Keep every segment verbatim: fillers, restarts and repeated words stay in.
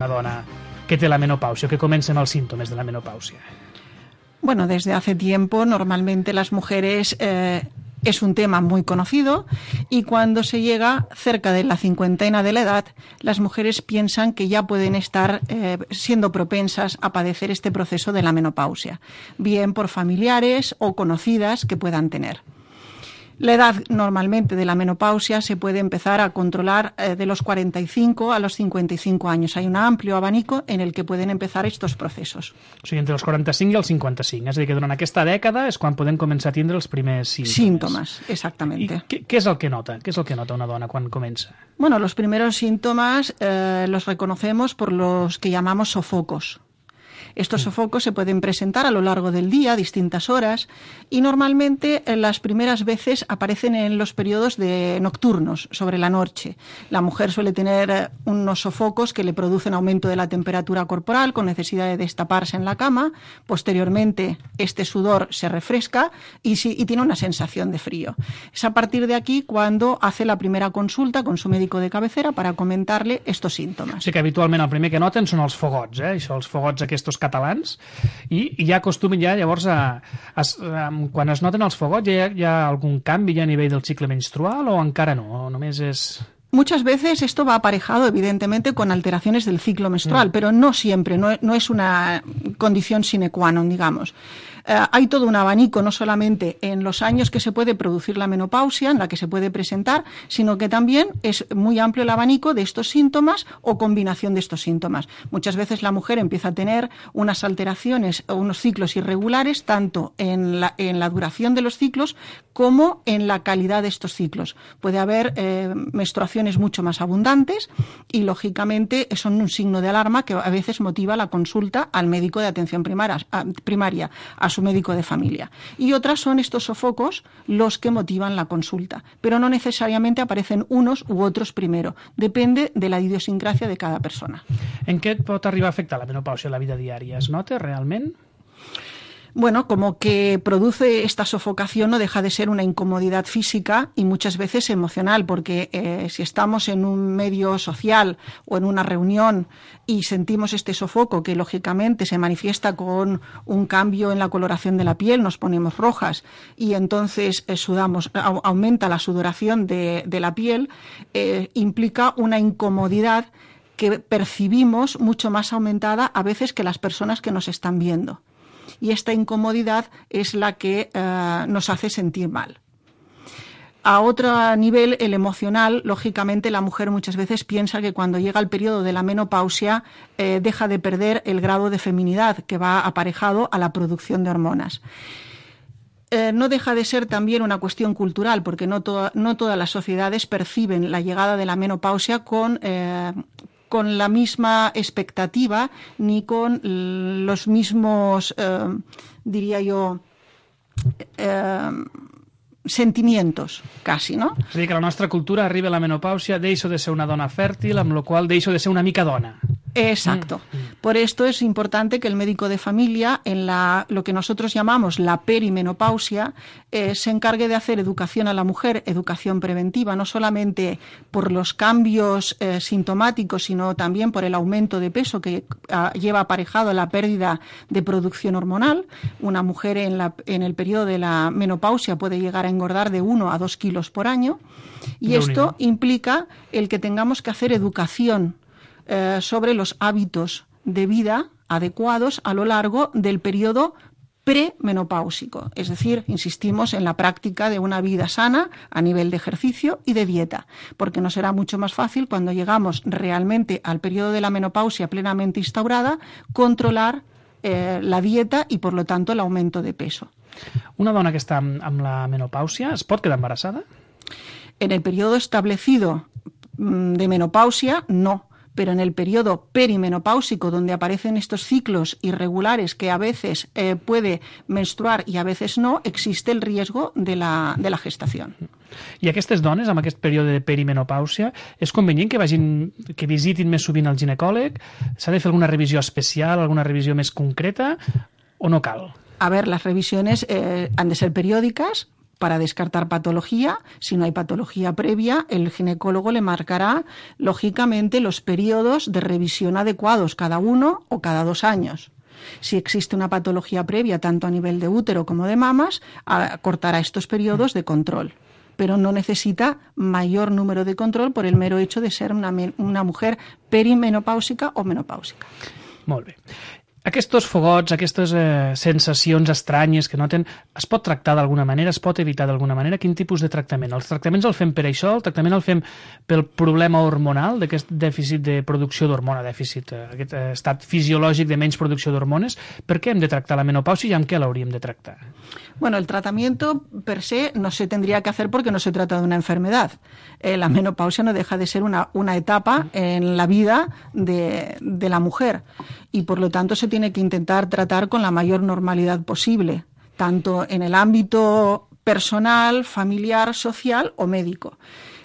una dona que té la menopausia, que comencen els símptomes de la menopausia? Bueno, desde hace tiempo normalmente las mujeres eh, es un tema muy conocido y cuando se llega cerca de la cincuentena de la edad, las mujeres piensan que ya pueden estar eh, siendo propensas a padecer este proceso de la menopausia, bien por familiares o conocidas que puedan tener. La edad normalmente de la menopausia se puede empezar a controlar eh, de los cuarenta y cinco a los cincuenta y cinco años. Hay un amplio abanico en el que pueden empezar estos procesos. O sigui, entre els quaranta-cinc i els cinquanta-cinc. És a dir, que durant aquesta dècada és quan podem començar a tindre els primers símptomes. Síntomas, exactamente. I què, què és el que nota? Què és el que nota una dona quan comença? Bueno, los primeros síntomas eh, los reconocemos por los que llamamos sofocos. Estos sofocos se pueden presentar a lo largo del día, a distintas horas, y normalmente eh, las primeras veces aparecen en los periodos de nocturnos, sobre la noche. La mujer suele tener eh, unos sofocos que le producen aumento de la temperatura corporal, con necesidad de destaparse en la cama. Posteriormente, este sudor se refresca y, si, y tiene una sensación de frío. Es a partir de aquí cuando hace la primera consulta con su médico de cabecera para comentarle estos síntomas. O sigui que habitualment el primer que noten són els fogots, eh? Això, els fogots aquests catalans, i, i ja acostumen ja llavors a, a, a quan es noten els fogots hi ha, hi ha algun canvi ja a nivell del cicle menstrual o encara no? O només és... Muchas veces esto va aparejado, evidentemente, con alteraciones del ciclo menstrual, mm. pero no siempre, no, no es una condición sine qua non, digamos. Eh, hay todo un abanico, no solamente en los años que se puede producir la menopausia, en la que se puede presentar, sino que también es muy amplio el abanico de estos síntomas o combinación de estos síntomas. Muchas veces la mujer empieza a tener unas alteraciones o unos ciclos irregulares, tanto en la, en la duración de los ciclos como en la calidad de estos ciclos. Puede haber eh, menstruaciones mucho más abundantes y, lógicamente, son un signo de alarma que a veces motiva la consulta al médico de atención primaria, a, primaria, a su médico de familia. Y otras son estos sofocos los que motivan la consulta, pero no necesariamente aparecen unos u otros primero. Depende de la idiosincrasia de cada persona. En què pot arribar a afectar la menopausia a la vida diària? Es nota realment? Bueno, como que produce esta sofocación no deja de ser una incomodidad física y muchas veces emocional, porque eh, si estamos en un medio social o en una reunión y sentimos este sofoco que lógicamente se manifiesta con un cambio en la coloración de la piel, nos ponemos rojas y entonces eh, sudamos, a, aumenta la sudoración de, de la piel, eh, implica una incomodidad que percibimos mucho más aumentada a veces que las personas que nos están viendo. Y esta incomodidad es la que eh, nos hace sentir mal. A otro nivel, el emocional, lógicamente la mujer muchas veces piensa que cuando llega el periodo de la menopausia eh, deja de perder el grado de feminidad que va aparejado a la producción de hormonas. Eh, no deja de ser también una cuestión cultural, porque no, to- no todas las sociedades perciben la llegada de la menopausia con... Eh, con la misma expectativa ni con los mismos, eh, diría yo, eh, sentimientos, casi, no? És a dir, que la nostra cultura arriba a la menopàusia, deixo de ser una dona fèrtil, amb la qual deixo de ser una mica dona. Exacto. Mm. Por esto es importante que el médico de familia, en la, lo que nosotros llamamos la perimenopausia, eh, se encargue de hacer educación a la mujer, educación preventiva, no solamente por los cambios eh, sintomáticos, sino también por el aumento de peso que uh, lleva aparejado la pérdida de producción hormonal. Una mujer en, la, en el periodo de la menopausia puede llegar a engordar de uno a dos kilos por año y esto implica el que tengamos que hacer educación Eh, sobre los hábitos de vida adecuados a lo largo del periodo premenopáusico. Es decir, insistimos en la práctica de una vida sana a nivel de ejercicio y de dieta, porque nos será mucho más fácil cuando llegamos realmente al periodo de la menopausia plenamente instaurada, controlar eh, la dieta y, por lo tanto, el aumento de peso. Una dona que està amb, amb la menopàusia es pot quedar embarassada? En el periodo establecido de menopausia, no. Pero en el periodo perimenopáusico, donde aparecen estos ciclos irregulares que a veces eh, puede menstruar y a veces no, existe el riesgo de la, de la gestación. I aquestes dones, amb aquest període de perimenopàusia, és convenient que vagin, que visitin més sovint el ginecòleg? S'ha de fer alguna revisió especial, alguna revisió més concreta, o no cal? A ver, las revisiones eh, han de ser periódicas, para descartar patología. Si no hay patología previa, el ginecólogo le marcará, lógicamente, los periodos de revisión adecuados, cada uno o cada dos años. Si existe una patología previa, tanto a nivel de útero como de mamas, acortará estos periodos de control. Pero no necesita mayor número de control por el mero hecho de ser una, una mujer perimenopàusica o menopàusica. Molt bé. Aquests fogots, aquestes eh, sensacions estranyes que noten, es pot tractar d'alguna manera, es pot evitar d'alguna manera? Quin tipus de tractament? Els tractaments el fem per això? El tractament el fem pel problema hormonal, d'aquest dèficit de producció d'hormona, dèficit, eh, aquest estat fisiològic de menys producció d'hormones? Per què hem de tractar la menopàusia i amb què l'hauríem de tractar? Bueno, el tratamiento per se no se tendría que hacer porque no se trata de una enfermedad. Eh, la menopausia no deja de ser una, una etapa en la vida de, de la mujer y por lo tanto se tiene que intentar tratar con la mayor normalidad posible, tanto en el ámbito personal, familiar, social o médico.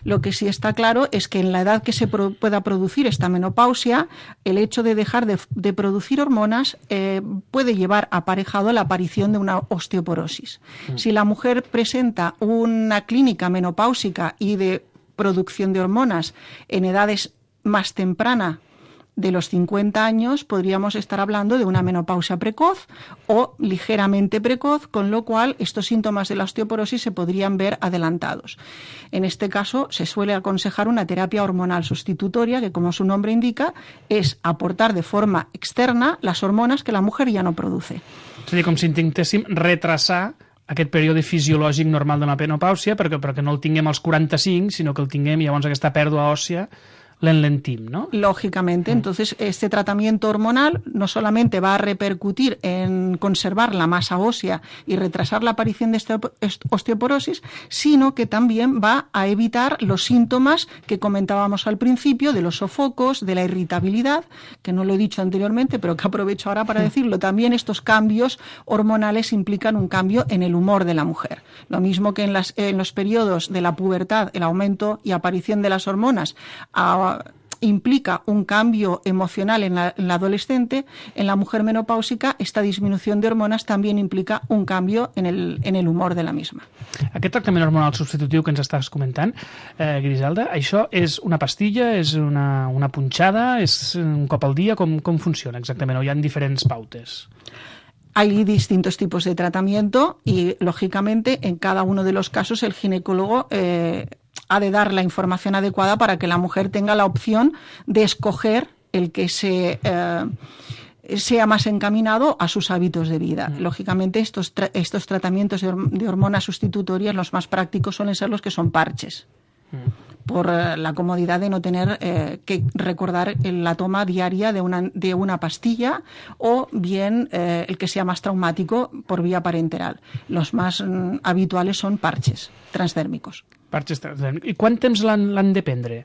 Lo que sí está claro es que en la edad que se pro- pueda producir esta menopausia, el hecho de dejar de, de producir hormonas eh, puede llevar aparejado la aparición de una osteoporosis. Mm. Si la mujer presenta una clínica menopáusica y de producción de hormonas en edades más tempranas, de los cincuenta años, podríamos estar hablando de una menopausia precoz o ligeramente precoz, con lo cual estos síntomas de la osteoporosis se podrían ver adelantados. En este caso, se suele aconsejar una terapia hormonal sustitutoria que, como su nombre indica, es aportar de forma externa las hormonas que la mujer ya no produce. És a dir, com si intentéssim retrasar aquest període fisiològic normal de la menopàusia perquè, perquè no el tinguem als quaranta-cinc, sinó que el tinguem i llavors aquesta pèrdua òssia l'enlentim, ¿no? Lógicamente. Entonces, este tratamiento hormonal no solamente va a repercutir en conservar la masa ósea y retrasar la aparición de esta osteoporosis, sino que también va a evitar los síntomas que comentábamos al principio de los sofocos, de la irritabilidad, que no lo he dicho anteriormente, pero que aprovecho ahora para decirlo. También estos cambios hormonales implican un cambio en el humor de la mujer. Lo mismo que en, las, en los periodos de la pubertad, el aumento y aparición de las hormonas a implica un cambio emocional en la, en la adolescente, en la mujer menopàusica esta disminución de hormonas también implica un cambio en el, en el humor de la misma. Aquest tractament hormonal substitutiu que ens estàs comentant, eh, Griselda, això és una pastilla, és una, una punxada, és un cop al dia, com, com funciona exactament, o hi ha diferents pautes? Hay distintos tipos de tratamiento y, lógicamente, en cada uno de los casos el ginecólogo eh, ha de dar la información adecuada para que la mujer tenga la opción de escoger el que se eh, sea más encaminado a sus hábitos de vida. Mm. Lógicamente, estos, tra- estos tratamientos de, horm- de hormonas sustitutorias, los más prácticos suelen ser los que son parches. Mm. Por eh, la comodidad de no tener eh, que recordar la toma diaria de una, de una pastilla o bien eh, el que sea más traumático por vía parenteral. Los más mm, habituales son parches transdèrmicos. Parches transdèrmicos. I quant temps l'han, l'han de prendre?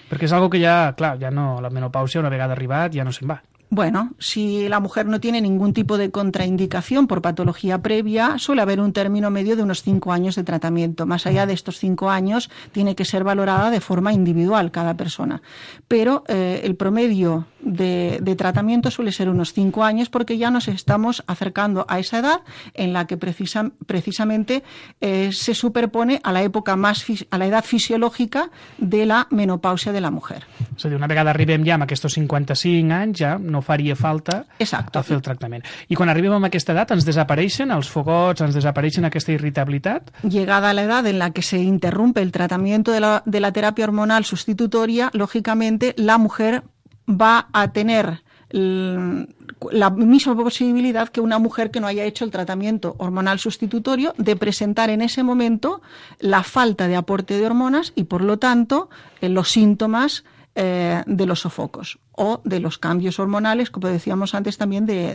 Perquè és algo que ja, clar, ja no, la menopàusia una vegada arribat ja no se'n va. Bueno, si la mujer no tiene ningún tipo de contraindicación por patología previa, suele haber un término medio de unos cinco años de tratamiento. Más allá de estos cinco años, tiene que ser valorada de forma individual cada persona. Pero eh, el promedio de, de tratamiento suele ser unos cinco años porque ya nos estamos acercando a esa edad en la que precisa, precisamente eh, se superpone a la época más a la edad fisiológica de la menopausia de la mujer. És a dir, una vegada arribem ja amb aquests cinquanta-cinc anys, ja no faria falta Exacto. fer el tractament. I quan arribem a aquesta edat ens desapareixen els fogots, ens desapareixen aquesta irritabilitat? Llegada a la edad en la que se interrumpe el tratamiento de la, de la terapia hormonal sustitutoria, lógicamente la mujer va a tener la misma posibilidad que una mujer que no haya hecho el tratamiento hormonal sustitutorio de presentar en ese momento la falta de aporte de hormonas y, por lo tanto, los síntomas Eh, de los sofocos o de los cambios hormonales, como decíamos antes también, de,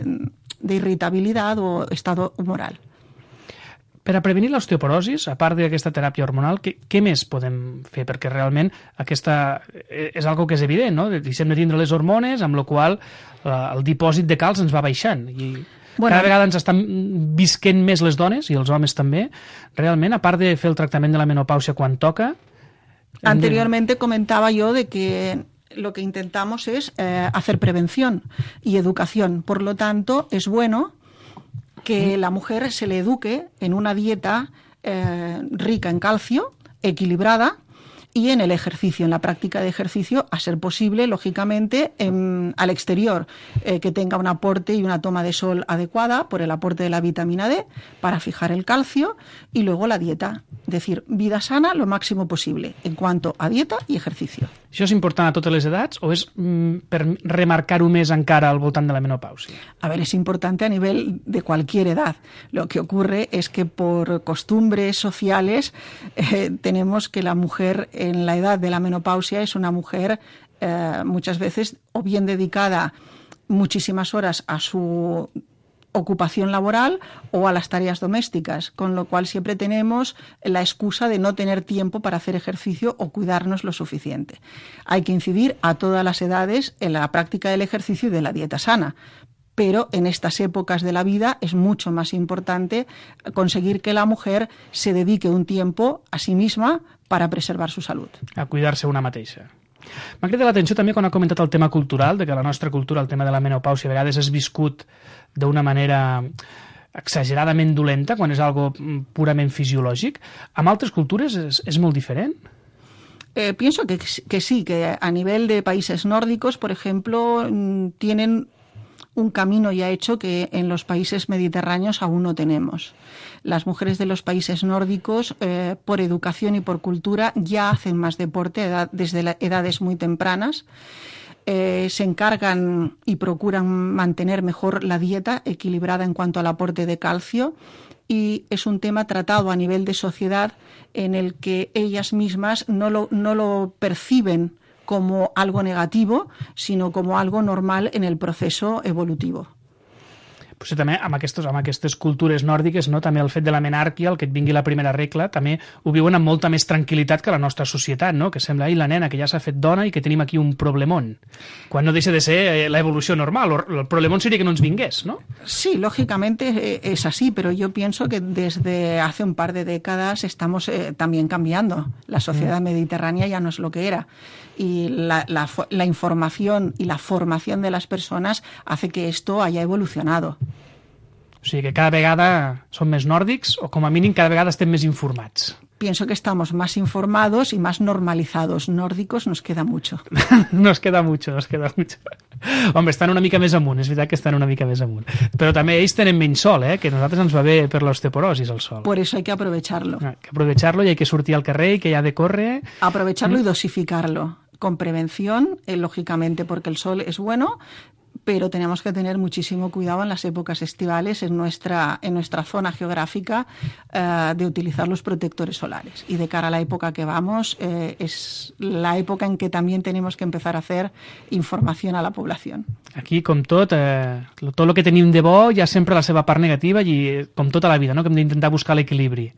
de irritabilidad o estado humoral. Per a prevenir l'osteoporosis, a part d'aquesta teràpia hormonal, què, què més podem fer? Perquè realment aquesta és algo que és evident, no? Deixem de tindre les hormones, amb la qual cosa el dipòsit de calç ens va baixant i bueno, cada vegada ens estan visquent més les dones i els homes també. Realment, a part de fer el tractament de la menopàusia quan toca. Anteriormente comentaba yo de que lo que intentamos es eh, hacer prevención y educación. Por lo tanto, es bueno que la mujer se le eduque en una dieta eh, rica en calcio, equilibrada, y en el ejercicio, en la práctica de ejercicio, a ser posible, lógicamente, en, al exterior, eh, que tenga un aporte y una toma de sol adecuada por el aporte de la vitamina D para fijar el calcio, y luego la dieta. Es decir, vida sana lo máximo posible en cuanto a dieta y ejercicio. Això és important a totes les edats o és mm, per remarcar-ho més encara al voltant de la menopàusia? A ver, es importante a nivel de cualquier edad. Lo que ocurre es que por costumbres sociales eh, tenemos que la mujer en la edad de la menopausia es una mujer eh, muchas veces o bien dedicada muchísimas horas a su ocupación laboral o a las tareas domésticas, con lo cual siempre tenemos la excusa de no tener tiempo para hacer ejercicio o cuidarnos lo suficiente. Hay que incidir a todas las edades en la práctica del ejercicio y de la dieta sana, pero en estas épocas de la vida es mucho más importante conseguir que la mujer se dedique un tiempo a sí misma para preservar su salud. A cuidar-se una mateixa. M'ha cridat l'atenció també quan ha comentat el tema cultural, de que la nostra cultura, el tema de la menopàusia, a vegades és viscut d'una manera exageradament dolenta, quan és algo purament fisiològic. Amb altres cultures és, és molt diferent? Eh, pienso que, que sí, que a nivel de países nórdicos, por ejemplo, tienen un camino ya hecho que en los países mediterráneos aún no tenemos. Las mujeres de los países nórdicos, eh, por educación y por cultura, ya hacen más deporte edad, desde la, edades muy tempranas. Eh, se encargan y procuran mantener mejor la dieta equilibrada en cuanto al aporte de calcio, y es un tema tratado a nivel de sociedad en el que ellas mismas no lo, no lo perciben como algo negativo, sino como algo normal en el proceso evolutivo. Potser també amb aquestes, amb aquestes cultures nòrdiques, no? També el fet de la menàrquia, el que et vingui la primera regla, també ho viuen amb molta més tranquil·litat que la nostra societat, no? Que sembla, ai, la nena que ja s'ha fet dona i que tenim aquí un problemón, quan no deixa de ser eh, la evolució normal, o el problemón seria que no ens vingués, ¿no? Sí, lógicamente eh, es así, pero yo pienso que desde hace un par de décadas estamos eh, también cambiando. La sociedad mm. mediterránea ya no es lo que era. Y la, la, la información y la formación de las personas hace que esto haya evolucionado. O sigui que cada vegada som més nòrdics o com a mínim cada vegada estem més informats. Pienso que estamos más informados y más normalizados. Nórdicos nos queda mucho. Nos queda mucho, nos queda mucho. Hombre, estan una mica més amunt, és veritat que estan una mica més amunt. Però també ells tenen menys sol, eh? Que a nosaltres ens va bé per l'osteoporosis el sol. Por eso hay que aprovecharlo. Hay que aprovecharlo y hay que sortir al carrer y que ya de corre. Aprovecharlo ¿Mm? y dosificarlo. Con prevención, eh, lógicamente, porque el sol es bueno, pero tenemos que tener muchísimo cuidado en las épocas estivales en nuestra, en nuestra zona geográfica eh, de utilizar los protectores solares. Y de cara a la época que vamos, eh, es la época en que también tenemos que empezar a hacer información a la población. Aquí, com tot, eh, tot el que tenim de bo hi ha sempre la seva part negativa i com tota la vida, no? Que hem d'intentar buscar l'equilibri.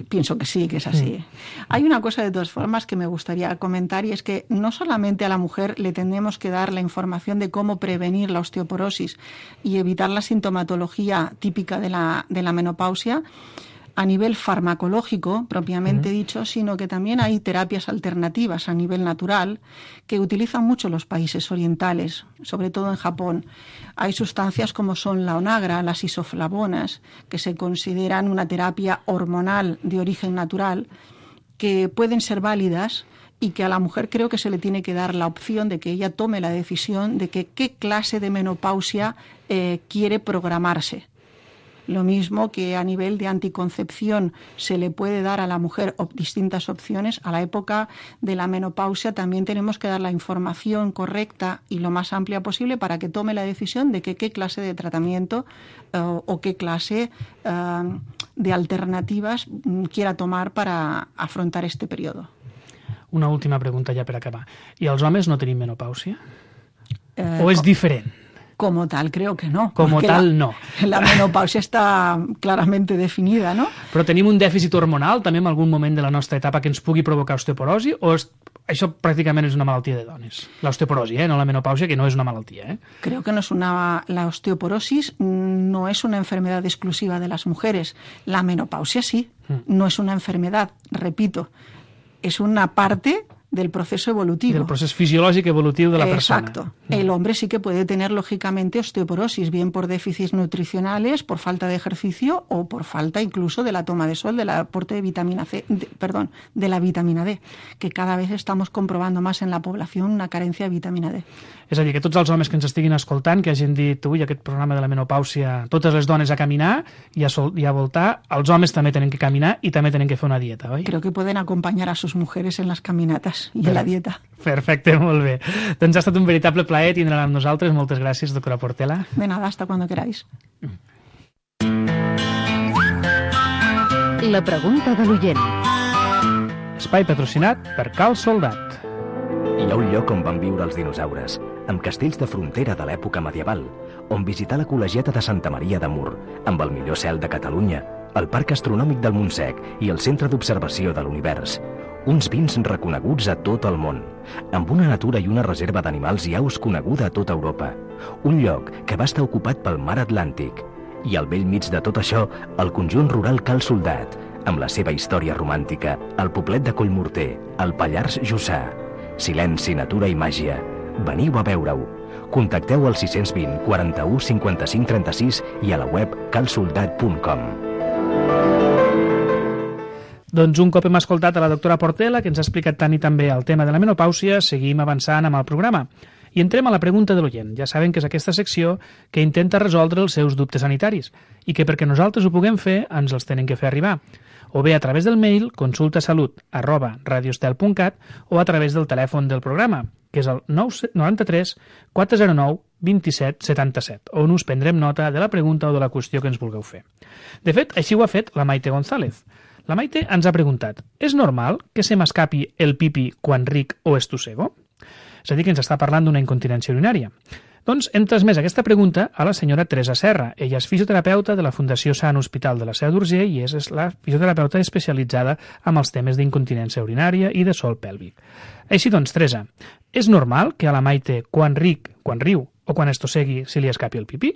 Pienso que sí, que es así. Mm. Hay una cosa de todas formas que me gustaría comentar, y es que no solamente a la mujer le tenemos que dar la información de cómo prevenir la osteoporosis y evitar la sintomatología típica de la, de la menopausia a nivel farmacológico, propiamente mm. dicho, sino que también hay terapias alternativas a nivel natural que utilizan mucho los países orientales, sobre todo en Japón. Hay sustancias como son la onagra, las isoflavonas, que se consideran una terapia hormonal de origen natural, que pueden ser válidas y que a la mujer creo que se le tiene que dar la opción de que ella tome la decisión de que qué clase de menopausia eh, quiere programarse. Lo mismo que a nivel de anticoncepción se le puede dar a la mujer op- distintas opciones, a la época de la menopausia también tenemos que dar la información correcta y lo más amplia posible para que tome la decisión de que qué clase de tratamiento uh, o qué clase uh, de alternativas um, quiera tomar para afrontar este periodo. Una última pregunta ja per acabar. I els homes no tenim menopàusia? Eh, o és diferent? Como tal, creo que no. Como tal, la, no. La menopausia está claramente definida, ¿no? Però tenim un dèficit hormonal també en algun moment de la nostra etapa que ens pugui provocar osteoporosi, o és, això pràcticament és una malaltia de dones? L'osteoporosi, eh? No la menopausia, que no és una malaltia, ¿eh? Creo que no es una... La osteoporosis no es una enfermedad exclusiva de las mujeres. La menopausia sí, mm. no es una enfermedad, repito. Es una parte del proceso evolutivo. Del proceso fisiológico evolutivo de la persona. Exacto. El hombre sí que puede tener, lógicamente, osteoporosis, bien por déficits nutricionales, por falta de ejercicio o por falta incluso de la toma de sol, del aporte de vitamina C, de, perdón, de la vitamina D, que cada vez estamos comprobando más en la población una carencia de vitamina D. És a dir, que tots els homes que ens estiguin escoltant, que hagin dit, ui, aquest programa de la menopàusia, totes les dones a caminar i a, sol, i a voltar, els homes també tenen que caminar i també tenen que fer una dieta, oi? Creo que pueden acompañar a sus mujeres en las caminatas i en la dieta. Perfecte, molt bé. Doncs ha estat un veritable plaer tindre-la amb nosaltres. Moltes gràcies, doctora Portela. De nada, hasta cuando queráis. La pregunta de l'oient. Espai patrocinat per Cal Soldat. Hi ha un lloc on van viure els dinosaures, amb castells de frontera de l'època medieval, on visitar la col·legiata de Santa Maria de Mur, amb el millor cel de Catalunya, el Parc Astronòmic del Montsec i el Centre d'Observació de l'Univers. Uns vins reconeguts a tot el món, amb una natura i una reserva d'animals i aus coneguda a tota Europa. Un lloc que va estar ocupat pel mar Atlàntic. I al vell mig de tot això, el conjunt rural Cal Soldat, amb la seva història romàntica, el poblet de Collmorter, el Pallars Jussà. Silenci, natura i màgia. Veniu a veure-ho. Contacteu al sis cents vint, quaranta-u, cinquanta-cinc, trenta-sis i a la web cal soldat punt com. Doncs un cop hem escoltat a la doctora Portela, que ens ha explicat tant i tan bé el tema de la menopàusia, seguim avançant amb el programa. I entrem a la pregunta de l'oient. Ja saben que és aquesta secció que intenta resoldre els seus dubtes sanitaris i que perquè nosaltres ho puguem fer ens els tenen que fer arribar. O bé a través del mail consultasalut arroba radiostel punt cat o a través del telèfon del programa, que és el nou tres quatre zero nou dos set set set, on us prendrem nota de la pregunta o de la qüestió que ens vulgueu fer. De fet, així ho ha fet la Maite González. La Maite ens ha preguntat: és normal que se m'escapi el pipi quan ric o estossego? És a dir, que ens està parlant d'una incontinència urinària. Doncs hem transmès aquesta pregunta a la senyora Teresa Serra. Ella és fisioterapeuta de la Fundació Sant Hospital de la Seu d'Urgell i és la fisioterapeuta especialitzada en els temes d'incontinència urinària i de sòl pèlvic. Així doncs, Teresa, és normal que a la Maite, quan ric, quan riu o quan estossegui, se li escapi el pipí?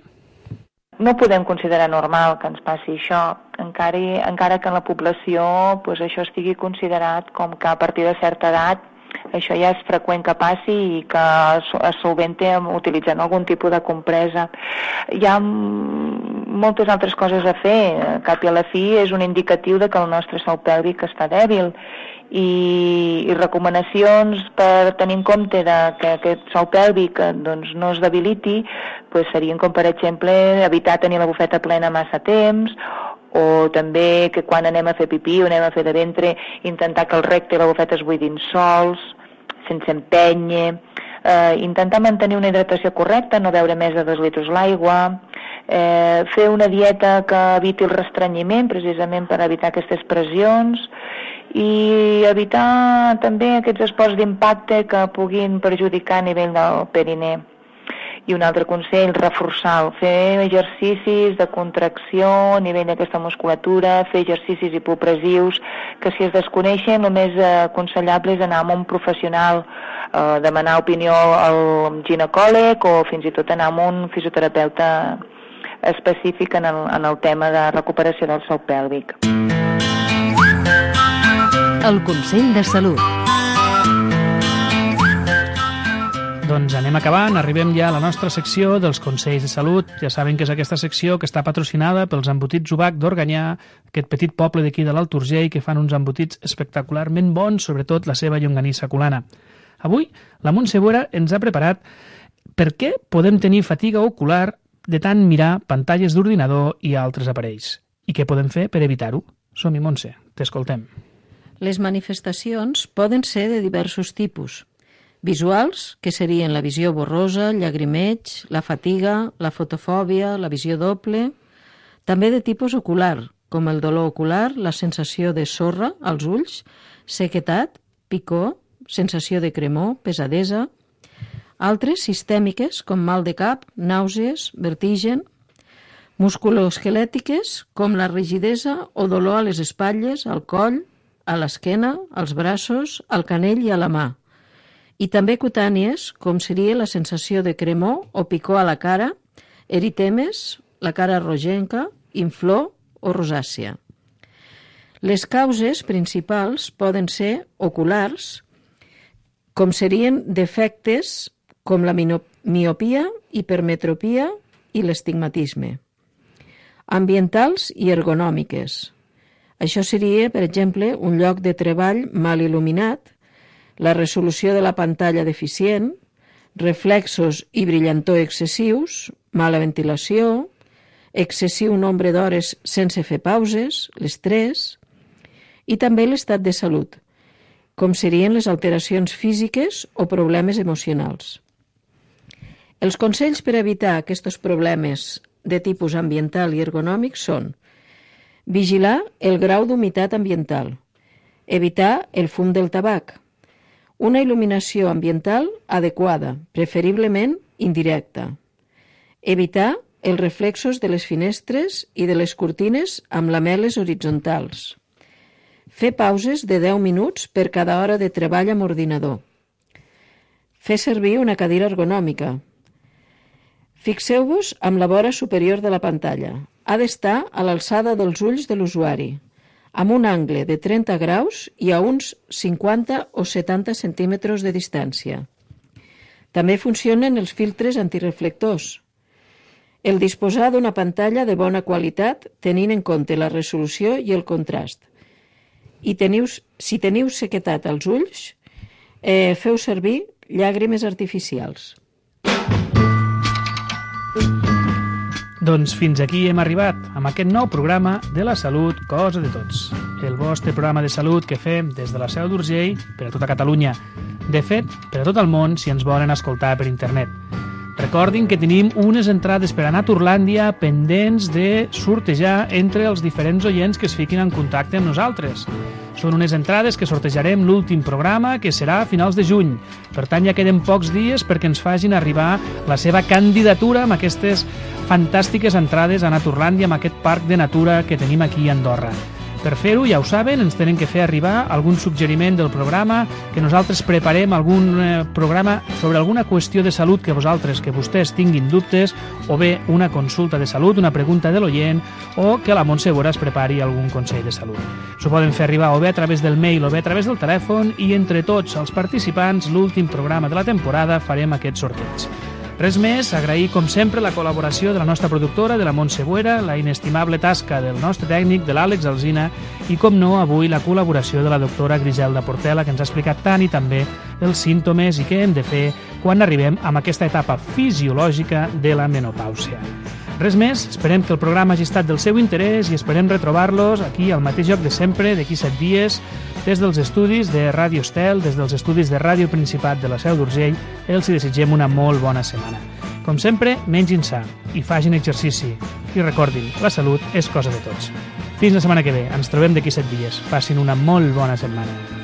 No podem considerar normal que ens passi això, encara, encara que en la població pues, això estigui considerat com que a partir de certa edat això ja és freqüent que passi i que es solventa utilitzant algun tipus de compresa. Hi ha moltes altres coses a fer. Al cap i a la fi és un indicatiu de que el nostre sòl pèlvic està dèbil i, i recomanacions per tenir en compte de que aquest sòl pèlvic doncs, no es debiliti pues, serien com, per exemple, evitar tenir la bufeta plena massa temps, o també que quan anem a fer pipí o anem a fer de ventre, intentar que el recte i la bufeta es buidin sols, sense empènyer, eh, intentar mantenir una hidratació correcta, no beure més de dos litres l'aigua, eh, fer una dieta que eviti el restrenyiment, precisament per evitar aquestes pressions, i evitar també aquests esports d'impacte que puguin perjudicar a nivell del perineu. I un altre consell, reforçar, fer exercicis de contracció a nivell d'aquesta musculatura, fer exercicis hipopressius, que si es desconeixen el més aconsellable és anar amb un professional, eh, demanar opinió al ginecòleg o fins i tot anar amb un fisioterapeuta específic en el, en el tema de recuperació del sòl pèlvic. El Consell de Salut. Doncs anem acabant, arribem ja a la nostra secció dels Consells de Salut. Ja saben que és aquesta secció que està patrocinada pels embotits Ubac d'Organyà, aquest petit poble d'aquí de l'Alt Urgell que fan uns embotits espectacularment bons, sobretot la seva llonganissa colana. Avui, la Montse Bora ens ha preparat per què podem tenir fatiga ocular de tant mirar pantalles d'ordinador i altres aparells. I què podem fer per evitar-ho? Som-hi, Montse, t'escoltem. Les manifestacions poden ser de diversos tipus. Visuals, que serien la visió borrosa, llagrimeig, la fatiga, la fotofòbia, la visió doble. També de tipus ocular, com el dolor ocular, la sensació de sorra als ulls, sequetat, picor, sensació de cremor, pesadesa. Altres sistèmiques, com mal de cap, nàusees, vertigen. Musculoesquelètiques, com la rigidesa o dolor a les espatlles, al coll, a l'esquena, als braços, al canell i a la mà. I també cutànies, com seria la sensació de cremor o picor a la cara, eritemes, la cara rogenca, inflor o rosàcia. Les causes principals poden ser oculars, com serien defectes com la miopia, hipermetropia i l'estigmatisme. Ambientals i ergonòmiques. Això seria, per exemple, un lloc de treball mal il·luminat, la resolució de la pantalla deficient, reflexos i brillantor excessius, mala ventilació, excessiu nombre d'hores sense fer pauses, l'estrès, i també l'estat de salut, com serien les alteracions físiques o problemes emocionals. Els consells per evitar aquests problemes de tipus ambiental i ergonòmic són vigilar el grau d'humitat ambiental, evitar el fum del tabac, una il·luminació ambiental adequada, preferiblement indirecta, evitar els reflexos de les finestres i de les cortines amb lamel·les horitzontals, fer pauses de deu minuts per cada hora de treball amb ordinador, fer servir una cadira ergonòmica. Fixeu-vos amb la vora superior de la pantalla. Ha d'estar a l'alçada dels ulls de l'usuari, amb un angle de trenta graus i a uns cinquanta o setanta centímetres de distància. També funcionen els filtres antireflectors. El disposar d'una pantalla de bona qualitat tenint en compte la resolució i el contrast. I teniu, si teniu sequetat als ulls, eh, feu servir llàgrimes artificials. Doncs fins aquí hem arribat, amb aquest nou programa de la salut, cosa de tots. El vostre programa de salut que fem des de la Seu d'Urgell per a tota Catalunya. De fet, per a tot el món, si ens volen escoltar per internet. Recordin que tenim unes entrades per anar a Turlàndia pendents de sortejar entre els diferents oients que es fiquin en contacte amb nosaltres. Són unes entrades que sortejarem l'últim programa, que serà a finals de juny. Per tant, ja queden pocs dies perquè ens facin arribar la seva candidatura amb aquestes fantàstiques entrades a anar a Turlàndia, amb aquest parc de natura que tenim aquí a Andorra. Per fer-ho, ja ho saben, ens tenen que fer arribar algun suggeriment del programa, que nosaltres preparem algun eh, programa sobre alguna qüestió de salut que vosaltres, que vostès tinguin dubtes, o bé una consulta de salut, una pregunta de l'oient, o que la Montse Bora es prepari algun consell de salut. S'ho poden fer arribar o bé a través del mail o bé a través del telèfon, i entre tots els participants, l'últim programa de la temporada, farem aquest sorteig. Res més, agrair com sempre la col·laboració de la nostra productora, de la Montse Buera, la inestimable tasca del nostre tècnic, de l'Àlex Alsina, i com no, avui la col·laboració de la doctora Griselda Portela, que ens ha explicat tant i també els símptomes i què hem de fer quan arribem a aquesta etapa fisiològica de la menopàusia. Res més, esperem que el programa hagi estat del seu interès i esperem retrobar-los aquí al mateix lloc de sempre, d'aquí set dies, des dels estudis de Ràdio Estel, des dels estudis de Ràdio Principat de la Seu d'Urgell. Els hi desitgem una molt bona setmana. Com sempre, mengin sa i facin exercici. I recordin, la salut és cosa de tots. Fins la setmana que ve. Ens trobem d'aquí set dies. Passin una molt bona setmana.